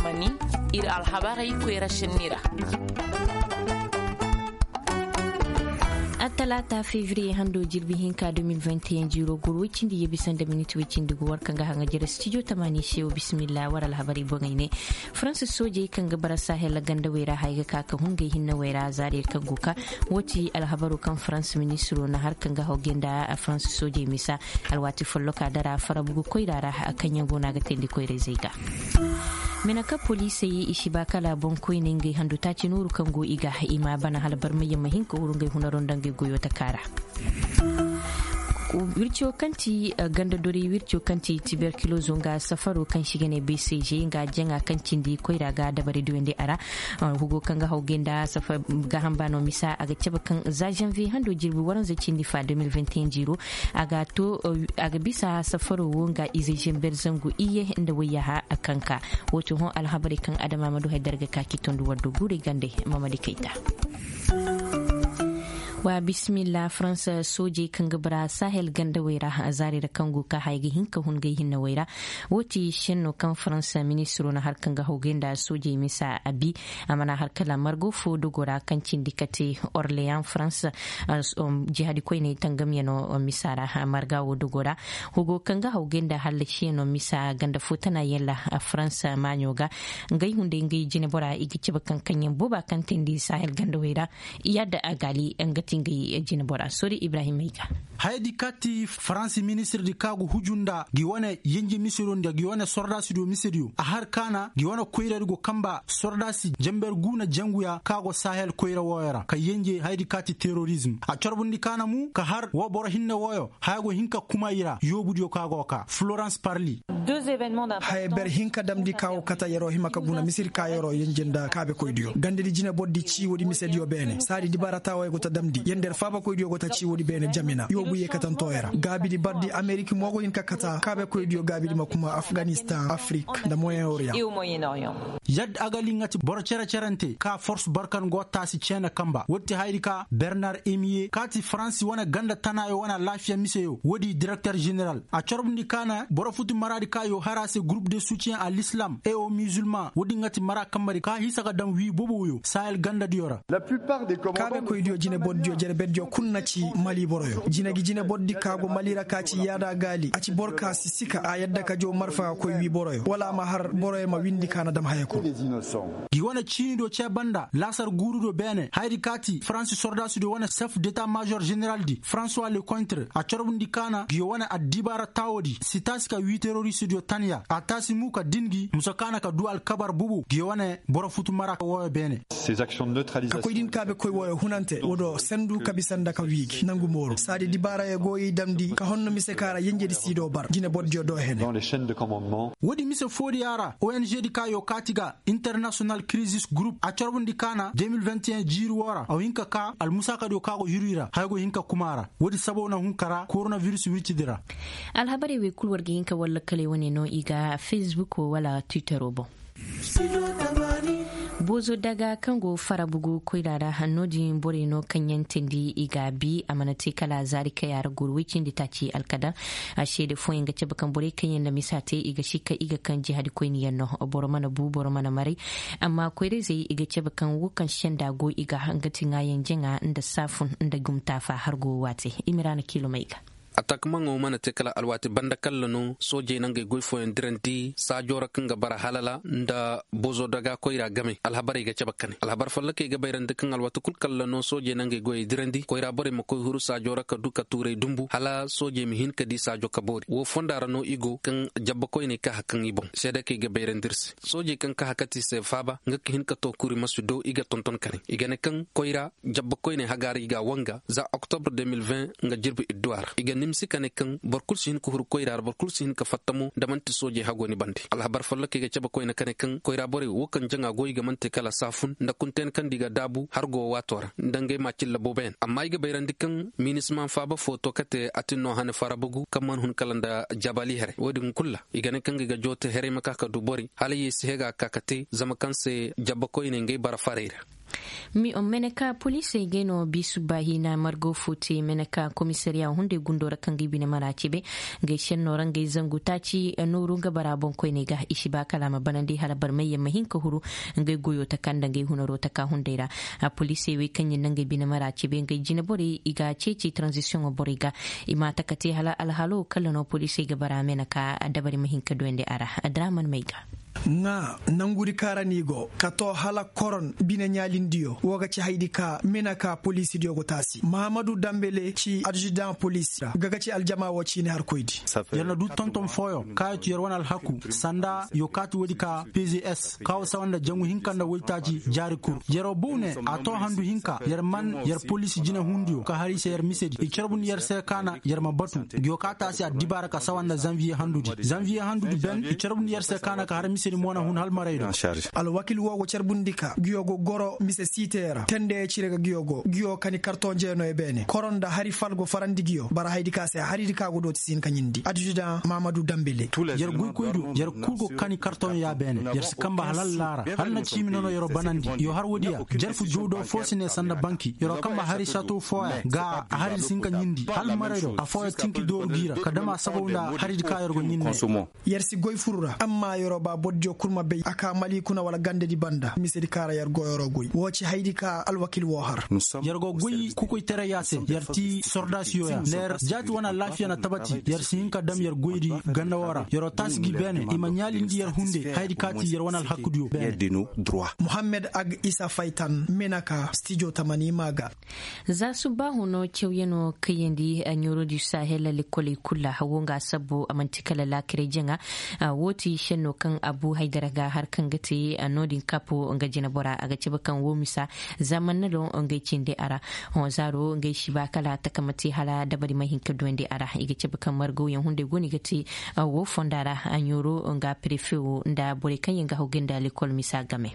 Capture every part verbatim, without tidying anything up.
Mani ir alhabarey koyra senni ra. Attalaata fevriye hando jirbi hinka deux mille vingt et un jiiro goro woy cindi yeebi sanda minit woy cindi go war kaŋ ga haŋa jere stijo tamaani se wo bismillah war alhabarey boŋey ne. Farans soojey kaŋ ga bara sahel gandawey ra haya ga ka ka hun ngey hinnawey ra zaariyey kaŋ go ka. Wo ti alhabaro kaŋ farans ministiro na har kaŋ ga hawgay nda farans soojey misa. Alwaati folloka dara farabugu koyra ra kaŋ yaŋ go no a ga teendi koyrayzey ga. Mena ka poliisey i si ba kala boŋkoyney ngey handu taaci nooru kaŋ go i ga i ma a bana hala barmayyaŋ ma hin ka huru ngey hunaro nda ngey goyo taka ra. Wirco kaŋ ti ganda doray wirco kaŋ ti tiberkilozo nga safaro kaŋ si ga ne bcg nga jaŋa kaŋ cindi koyra ga dabari duyandi a ra. Hugo kaŋ ga hawgay nda safar gaaham ba no misa a ga cabe kaŋ za janvier hando jirbi waranza cindi fa deux mille vingt et un jiiro. A ga to a ga bisa safaro wo nga ize zember zangu iye nda wayyaha kaŋ ka. Wo ti hõ alhabarey kaŋ adama ma du hay darga ka ki tondu waddo guurey gande. Mamadi kayta. Wa bismillah farans soojey kaŋ ga bara sahel gandawey ra zaarey ra kaŋ go ka haya ga hin ka hun ngey hinnawey ra. Wo ti senno kaŋ farans ministiro na har kaŋ ga hawgay nda soojey misa a bi. A mana har kala margo fo dogo ra kaŋ cindi kate orleyan farans. Jihadi koyney tangamyano misa ra marga wo dogo ra. Hugo kaŋ ga hawgay nda hallasiyaŋo misa ganda fo tana yalla farans maaɲo ga. Ngey hunday ngey jinebora i ga cabe kaŋ kaŋyaŋ booba kaŋ teendi sahel gandawey ra. Yadda a gaali nga ti ngey jinebora sori ibrahim ay ga. Hayadi kaati faransi ministirdi ka go huju nda gi wane yenje misediyo nda gi wane sordaasidiyo misediyo a har kaana gi wane koyradi go kamba sordaasi jamber guuna janguya ka go sahel koyra wooyo ra ka yenje hayadi kaati terorizm a corbundi kaana mu ka har woo boro hinne wooyo haya go hin ka kuma i ra yoobudiyo ka go ka florans parli. Haya ber hinka damndi ka go kata yer'o hima ka guna misir ka yer'o yenje nda kaabekoydiyo gandedi jinebordi cii woodi misediyo beene saadi dibaara taawey go ta damndi yer nder faabakoydiyo go ta cii woodi beene jamina yoobu yeekatantooyo ra gaabidi bardi amerik mo go hin ka kata kaabekoydiyo gaabidi ma kuma afganistan afrik nda moyen oriyan. Yadda a ga liŋati boro cere-cerante ka fors barkan go taasi ceene kamba wotti hayri ka bernar emiye kaati faransi wane ganda tanaayo wane alaafiya miseyo woodi direkter general a corbundi kaana boro futu maraadi ka yo har a se groupe de soutien a l'islam et au musulman woodi ŋati mara kambadi ka hisa ga daŋ wii boboyo sahel gandadiyo ra. Kaabekoydiyo jinebordiyo jerebeddiyo kul na ci mali boroyo jine gi jinebordi ka go mali ra ka ci yaada gaali a ci boro ka si sika a yadda ka jaw marfa ga koy wii boroyo wala a ma har boroyo ma windi ka na dam haya kul. Gi wane ciinidiyo cee banda laasar guurudiyo beene hayadi kaati faransi sordaasidiyo wane sef deta major generaldi françois lecointre a corbundi kaana gi wane addibaara taawodi si taasi ka wii teroristidiyo tanya a taasi mu ka din gi musa kaana ka duu alkabar bubu gi wane boro futu mara ka wooyo beene. Ka koy din kaabekoy wooyo hunante woo do sendu ka bisa nda ka wii gi nangu mooru saadi dibaarayo go i damndi ka honno mise ka ra yenjedi siido bar jinebordiyo do hene. Woodi mise foodiya ra ong di ka yo kaati ga international crisis group a corbundi kaana deux mille vingt et un jiiri woo ra a hin ka kaa almusaakadiyo ka go hiru i ra haya go hin ka kuma a ra woodi saboo na hun ka ra koronavirus wircidi ra. Alhabarey wey kul war ga hin ka walla kale wane no i ga facebook wala twittero boŋ. Boozo daga kaŋ go farabugu koyra ra no-din borey no kaŋ yaŋ teendi i ga a bi a mana te kala zaari kaya ra goro woy cindi taaci alkadar. A seede fooyaŋ ga cabe kaŋ borey kaŋ yaŋ na misa te i ga sikka i ga kaŋ jihadi koyniyaŋ no. Boro mana bu boro mana maray. Amma koyrayzey i ga cabe kaŋ wo kaŋ senda go i ga nga ti ŋaayaŋ jaŋa nda saafun nda gumtaafa har go waate i ma ra na kiilomey ga. Atakmaŋo mana te kala alwaati banda kalla no soojey na ngey goy fooyaŋ dirandi saajo ra kaŋ ga bara halala nda bozo daga koyra game alhabarey ga cabe kane alhabar fallakey ga bayrandi kaŋ alwaati kul kalla no soojey na ngey goyey dirandi koyra borey ma koy huru saajo ra ka du ka tuuray dumbu hala soojey ma hin ka di saajo ka boori woo fonda ra no i go kaŋ jabba koyney kaha kaŋ i boŋ seedakey ga bayrandi ir se soojey kaŋ kaha kate i se faaba nga ka hin ka to kuri ma si do i ga tonton kane i ga ne kaŋ koyra jabba koyney hagaa ra i ga a wanga za oktobre deux mille vingt nga jirbi idduwa ra i ga nimsi ka ne kaŋ boro kul si hin ka huru koyra ra boro kul si hin ka fatta mo nda man'ti soojey hago ni bande alhabar folloka i ga cabe koyne ka ne kaŋ koyra borey wo kaŋ jaŋa go i ga man te kala saafun nda kunteen kaŋ nda i ga daabu hargo waato ra nda ngey ma cilla boobo yaŋ amma i ga bayrandi kaŋ minisma faaba fo to kate atinno hane farabugu kaŋ man hun kala nda jabali here wo- din kul ra i ga ne kaŋ ga i ga joote herey ma ka ka du borey hala ye si hega ka ka te zama kaŋ se jabba koyney ngey bara farey ra. Meneka poliisey ngey no biisu baahiina margo fo te meneka komisariya hunday gundo ra kaŋ ga i bine mara cebe. Ngey senno ra ngey zangu taaci nooru nga bara boŋkoyney ga i si ba kala a ma banandi hala barmayyaŋ ma hin ka huru ngey goyo taka nda ngey hunaro taka hunday ra. Poliisey wey kaŋ ɲin na ngey bine mara cebe ngey jineborey i ga ceeci taranzisiyoŋo borey ga. I ma taka te hala alhalo kala no poliisey ga bara meneka dabari ma hin ka duyandi a ra. Adraman may ga. Ŋaa nangudi kaara ni go ka to hala koron bine ɲaalindiyo wo ga ci haydi ka mena ka poliisidiyo go taasi mahamadu dambele ci adjudan poliisi ra ga ga ci aljama wo ciini harkoydi. Yer na du tonton fooyo kaayatu yer wane alhaku sanda yo kaati woodi ka pzs kaawo sawa nda jangu hinka nda woytaaci jaari kul. Yeroo bow ne a to handu hinka yer man yer poliisi jinehundiyo ka har i se yer misedi i carbundi yer se kaana yer ma batu. Ngiyo ka taasi addibaara ka sawa nda zanviye handudi zanviye handudi ben i carbundi yer se kaana ka har misedi mo na hun hal maray do. Alwakil woo go carbundi ka ngiyo go goro mise siitey ra tendeye cire ga ngiyo go ngiyo kani karton jeenooyo beene koro nda hari fal go farandi ngiyo bara haydi ka se haridi ka go dooti si hin ka ɲindi adjudan mamadu dambele. Yer goykoydiyo yer kul go kani karton ya beene yer si kamba hal allaara hal na ciimi nono yeroo banandi yo har woodiya. Jarfu jowdo foo si ne sanda banki yeroo kamba hari sato fooya ga a hari si hin ka ɲindi hal marayro afooya tinki dooru gi ra ka dam a sabaw nda haridi ka yer go ɲindi. Yer si goy furu ra amma yeroo ba bordiyo kul ma bay a ka mali kuna wala gandedi banda misedi ka ra yer go yeroo goy woo ci haydi ka alwakil woo har. Yer go goy kokoytaray ya se yer ti sordasiyo ya nda yer jaati wane alaafiya na tabati yer si hin ka dam yer goydi ganda woo ra yeroo taasi gi beene i ma ɲaalindi yer hunde haydi ka ti yer wane alhakudiyo beene. Muhammed ag isa faytan menaka stijo tamani maa ga. Za subbaahu no cawyanoo kayandi a ɲoorodi sahel lekoley kul ra hawo nga a sabbu a man'ti kala laakiray jaŋa. Woo ti šennoo kaŋ abu haydara ga har kaŋ ga te no-din kapo nga jineboraa a ga cabe kaŋ woo misa za manna do ngey cindi a ra. Hõ zaaro ngey si ba kala a taka ma te hala dabari ma hin ka duwandi a ra i ga cabe kaŋ margawyaŋ hunday go no i ga te. Woo fonda ra a ɲooro nga prefe woo nda borey kaŋ yaŋ ga haw ga nda lekol misa game.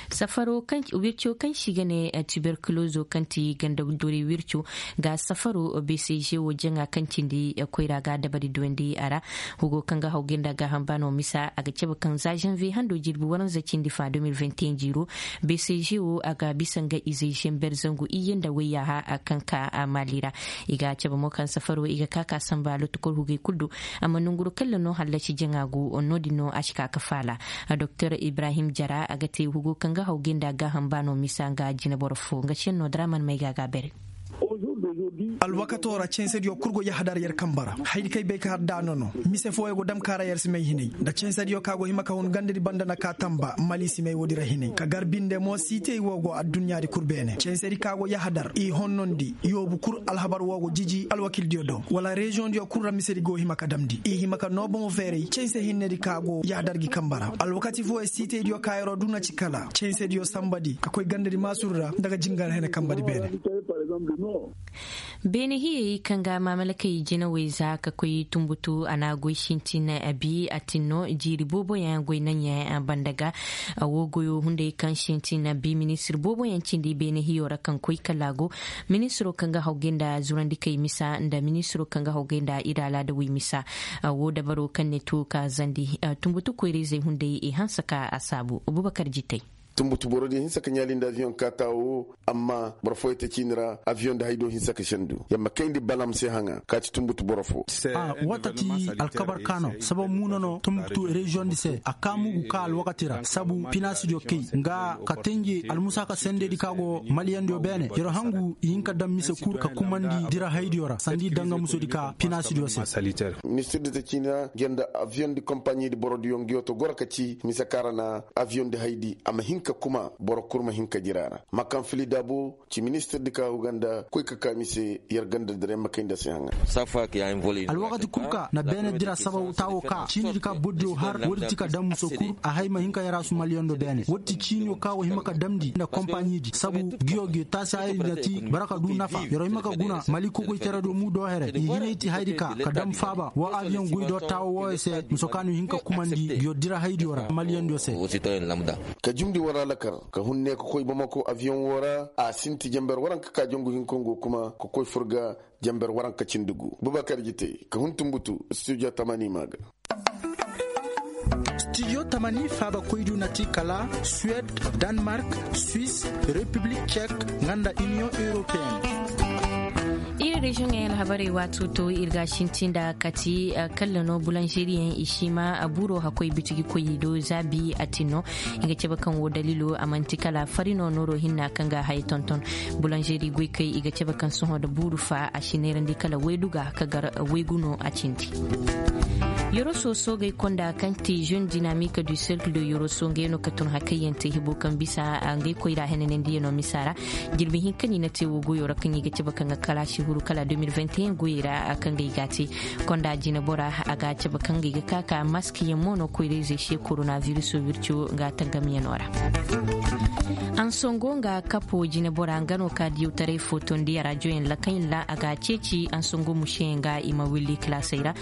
Safaro kaŋ wirco kaŋ se i ga ne tuberkulozo kaŋ ti ganda doray wirco ga safaro bcg wo jaŋa kaŋ cindi koyra ga dabari duwandi a ra. Hugo kaŋ ga haw ga nda gaaham baano misa a ga cabe kaŋ za zanviye hando jirbi waranza cindi fa deux mille vingt et un jiiro bcg wo a ga bisa nga izey zember zangu iyye nda wayyaaha kaŋ ka maali ra. I ga cabe mo kaŋ safaro i ga ka ka samba lotokor hugey kul do. Amma nonguro kalla no hallasi jaŋa go no-din no a si ka ka faala. Doktor ibrahim jara a ga te hugo kaŋ ga haw ga nda gaaham baano misa nga jineboro fo nga senno draman may ga a ga a bere. Alwakato ra censediyo kul go yahadar yer kamba ra haydi kay bay ka har daano no. Mise fooyo go dam ka ra yer si may hinay nda censediyo ka go hima ka hun gandadi banda na ka tamba mali si may woodi ra hinay ka gar binde mo siitey wo go adduɲɲaadi kul beene censedi ka go yahadar i honnondi yoobu kul alhabar woo go jiji alwakildiyo do wala reziyoŋdiyo kul ra misedi go hima ka damndi i hima ka noo bomo feeray canse hinnedi ka go yaadar gi kamba ra. Alwakati fooyo siitaydiyo ka yeroo duu na ci kala cansediyo sanbadi ka koy gandadi maasuru ra nda ga jingar hene kanbadi beene. Beene hiyey kaŋ ga maamalakey jinawey za ka koy tunbutu a na goy sintin bi a tin no jiiri booboyaŋ goy naŋyaŋ banda ga. Woo goyo hunday kaŋ sintin bi ministir booboyaŋ cindi beene hiyo ra kaŋ koy kala go ministiro kaŋ ga haw ga nda zurandikey misa nda ministiro kaŋ ga haw ga nda iri alaadawey misa. Woo dabaro kaŋ ne to ka zandi tunbutu koyra-izey hunday i hanse ka a saabu abubakar jitey. Tunbutu borodiyo hinse ka ɲaali nda aviyoŋ kaata woo amma boro fooyey te ciini ra aviyoŋ nda hay do hinse ka sendu yer ma kayndi balam se haŋa ka ci tunbutu boro fo. Woo ta ci alkabar ka no sabab muuna no tunbutu reziyoŋdi se a kaa mugu ka alwakati ra sabu pinaasidiyo kay nga ka tenje almusaaka sendedi ka go maliyandiyo beene yer hangu i hin ka daŋ mise kul ka kumandi dira haydiyo ra sanda i daŋ nga musodi ka pinaasidiyo se. Ministirdi te ciini ra yer nda aviyoŋdi kompaɲidi borodiyo nga yoo to goro ka ci mise kaŋ ra na aviyoŋdi haydi a ma hin ka kuma boro kul ma hin ka jira a ra ma kaŋ fili daabo ci ministirdi ka huganda koy ka kaa mise yer ganda dira yer ma kayndi a se haŋa. Alwakati kul ka na beene dira sababu taawo ka ciinidi ka bordiyo har woodi ti ka daŋ muso kul a hay ma hin ka yaraasu maliyando beene woodi ti ciiniyo ka wo hima ka damndi nda kompaɲidi sabu ngiyo gi taasi hayadi na ti bara ka du nafa yeroo hima ka guna mali kokoyteradiyo mu do here i hinay ti hayadi ka ka daŋ faaba woo aviyoŋ goy do taawo wooyo se muso ka no hin ka kumandi ngiyo dira hayadiyo ra maliyandiyo se. Ka jumndi war alakar ka hun ne ka koy bamako aviyoŋ woo ra a sinti jenber waranka ka jangu hinka ngo kuma ka koy fur ga jenber waranka cindi gu bubakar jitey ka hun tunbutu studio tamani maa ga. Studio tamani faaba koydu na ti kala suwed, danmark, suis, repiblik cek, nga nda iniyoŋ europeen. Iri reziyoŋ ŋey alhabarey waato to iri ga a sinti nda kati kalla no bulanzeriyaŋ i si ma buro hakkoy bitigi koy i do zaabi a tin no. I ga cabe kaŋ wo daliilo a man'ti kala fari no nooro hinna kaŋ ga a haya tonton. Bulanzeri goykey i ga cabe kaŋ sohõ nda buuru fa a si neerandi kala waydu ga ka gar waygu no a cindi. Yoroso soogey konda kaŋ ti jeune dinamik du cercle de yoroso ngey no ka tun hakayyaŋ te hibo kaŋ bisa ngey koyra henanandiyaŋo misa ra. Jirbi hinka no i na te wo goyo ra kaŋ i ga cabe kaŋ ga kala si huru kala deux mille vingt et un goyey ra kaŋ ga i ga a te. Konda jinebora a ga a cabe kaŋ ga i ga ka ka mask yaŋ mo no koyra-izey se koronaviruso wirco ga tangamyaŋo ra. Ansongo nga kapo jinebora nga no ka diyawtaray footondi a rajoyaŋ lakaŋ ra a ga a ceeci ansongo museyaŋ ga i ma willi kalaasey ra.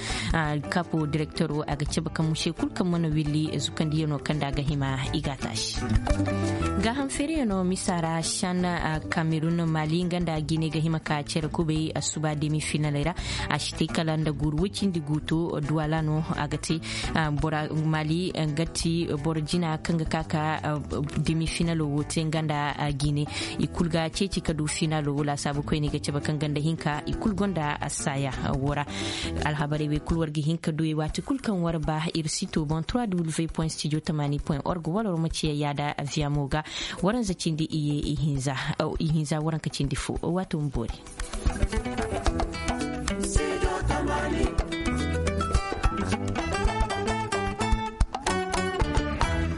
Kapo direktoro a ga cabe kaŋ muse kul kaŋ mana willi zukandiyano kaŋ nda a ga hima i ga a taasi. Gaaham feereyano misa ra san kamerun mali nga nda gine ga hima ka cere kubay asuba demi finaley ra. A si te kala nda guuru woy cindi guuto duwala no a ga te. Bora mali nga ti boro jina kaŋ ga ka ka demi finalo wo te nga nda gine. I kul ga ceeci ka du finalo wo laasaabu koyne i ga cabe kaŋ ganda hinka i kul gonda saaya wo ra. Alhabarey wey kul war ga hin ka du i waati kul kaŋ war ba ir sito boŋ trois w point studio tamani point org wala war ma ciya yaada aviamo ga. Waranza cindi iye ihinza waranka cindi fo waato ma boori.